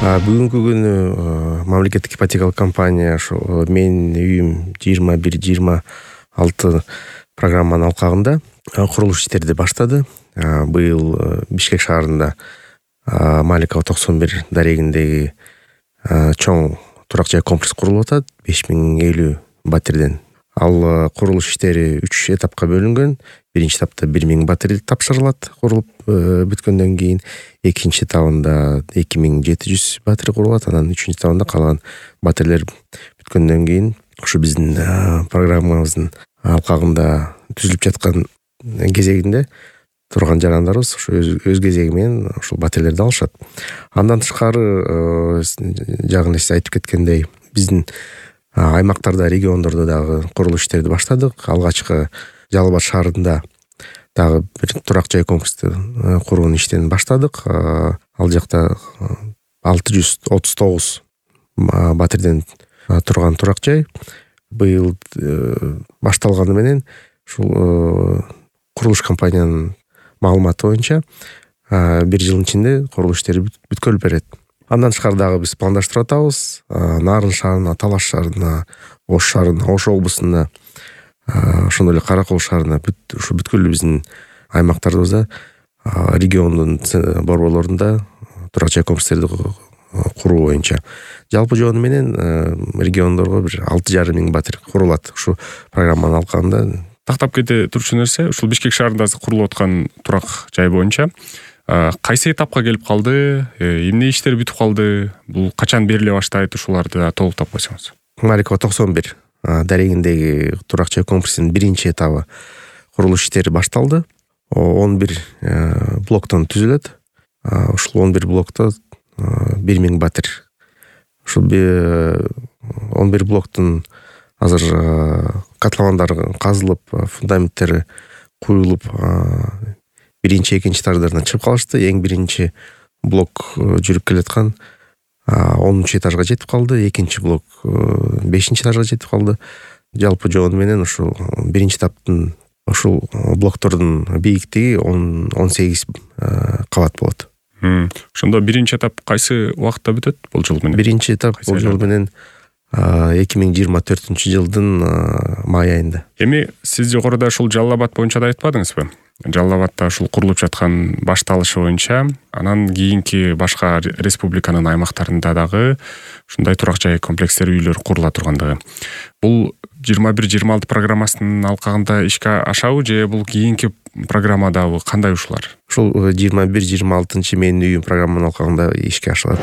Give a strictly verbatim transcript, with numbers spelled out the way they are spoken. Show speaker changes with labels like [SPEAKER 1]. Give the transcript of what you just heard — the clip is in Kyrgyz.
[SPEAKER 1] Бүгүнкү күнү мамлекеттик ипотекалык компания ошо менин үйүм жыйырма бир жыйырма алты программанын алкагында курулуш иштерди баштады. Быйыл Бишкек шаарында Маликова токсон бир дарегиндеги чоң турак жай комплекс курулуп атат. беш миң элүү батирден. Ал курулуш иштери үч этапка бөлүнгөн. Биринчи этапта бир миң батир тапшырылат курулуп бүткөндөн кийин. Экинчи этабында эки миң жети жүз батир курулат. Анан үчүнчү этабында калган батирлер бүткөндөн кийин ушу биздин программабыздын алкагында түзүлүп жаткан кезегинде турган жарандарыбыз ошо өз кезеги менен ушул батирлерди алышат. Андан тышкары жагын сиз айтып кеткендей биздин аймактарда, региондордо дагы курулуш иштерди баштадык. Алгачкы Жалал Абад шаарында дагы бир турак жай комплексти куруунун иштерин баштадык. Ал жакта алты жүз отуз тогуз батирден турган турак жай. Быйыл башталганы менен ушул курулуш компаниянын маалыматы боюнча бир жылдын ичинде курулуш иштери бүткөлүп берет. Андан тышкары дагы биз пландаштырып атабыз. Нарын шаарына, Талаш шаарына, Ош шаарына, Ош облусуна, ошондой эле Каракол шаарына ушу бүткүл биздин аймактарыбызда, региондун борборлорунда турак жай комплекстерди куруу боюнча жалпы жоonu менен региондорго бир алты жарым миң батир курулат. Ушу программанын алкагында
[SPEAKER 2] тактап кете турчу нерсе, ушул Бишкек шаарында курулуп аткан турак жай боюнча кайсы этапка келип калды, эмне иштер бүтүп калды, бул качан бериле баштайт, ушуларды да толуктап койсоңуз.
[SPEAKER 1] Маликова токсон бир дарегиндеги турак жай комплексинин биринчи этабы курулуш иштери башталды. он бир блоктон түзүлөт. Ушул он бир блокто бир миң батир. Ушул он бир блоктун азыр катламандары казылып, фундаменттери куюлуп, биринчи, экинчи этаждарына чыгып калышты. Эң биринчи блок жүрүп келаткан онунчу этажга жетип калды. Экинчи блок бешинчи этажга жетип калды. Жалпы жоonu менен ушул биринчи этаптын ушул блоктордун бийиктиги он сегиз кабат болот.
[SPEAKER 2] Ошондо биринчи этап кайсы убакытта бүтөт бул жыл менен?
[SPEAKER 1] Биринчи этап бул жыл менен эки миң жыйырма төртүнчү жылдын май айында.
[SPEAKER 2] Эми сиз жогоруда ушул Жалал Абад боюнча да айтпадыңызбы? Жалал Абадта ушул курулуп жаткан башталышы боюнча, анан кийинки башка республиканын аймактарында дагы ушундай турак жай комплекстер, үйлөр курула тургандыгы. Бул жыйырма бир жыйырма алты программасынын алкагында ишке ашабы же бул кийинки программадабы кандай ушулар?
[SPEAKER 1] Ушул жыйырма бир жыйырма алтынчы менин үйүм программанын алкагында ишке ашылат.